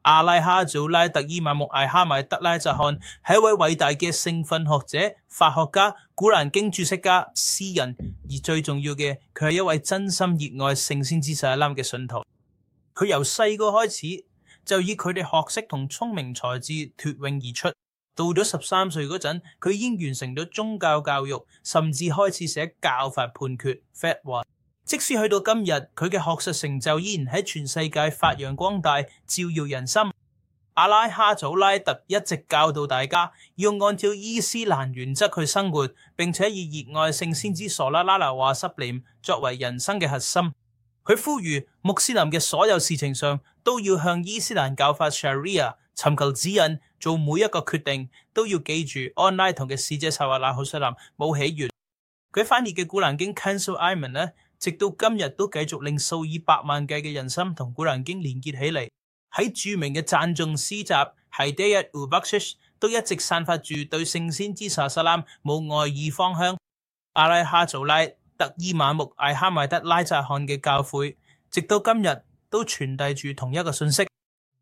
阿拉哈祖拉特伊馬木艾哈邁德拉扎漢係一位偉大嘅聖訓學者、法學家、古蘭經注釋家、詩人，而最重要嘅，佢係一位真心熱愛聖先知撒拉嘅信徒。佢由細個開始就以佢哋學識同聰明才智脫穎而出。到咗13歲嗰陣，佢已經完成咗宗教教育，甚至開始寫教法判決 fatwa。即使去到今日，佢嘅學術成就依然喺全世界發揚光大，照耀人心。阿拉哈祖拉特一直教導大家要按照伊斯蘭原則去生活，並且以熱愛聖先知索拉拉拿華濕廉作為人生嘅核心。佢呼籲穆斯林嘅所有事情上都要向伊斯蘭教法 Sharia 尋求指引，做每一個決定都要記住安拉同嘅使者薩瓦拉好塞林冇起源。佢翻譯嘅古蘭經 Kanzul Iman 呢，直到今日都繼續令數以百萬計嘅人心同古蘭經連結起嚟。喺著名嘅讚頌詩集 Hidayat Ubakshish 都一直散發住對聖先知薩薩拉冇愛意芳香。阿拉哈祖拉特伊馬木艾哈邁德拉扎漢嘅教誨，直到今日都傳遞住同一個信息，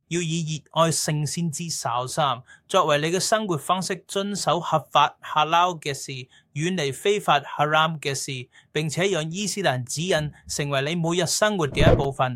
要以熱愛聖先知薩薩拉作為你嘅生活方式，遵守合法哈撈嘅事，遠離非法哈拉姆嘅事，並且讓伊斯蘭指引成為你每日生活嘅一部分。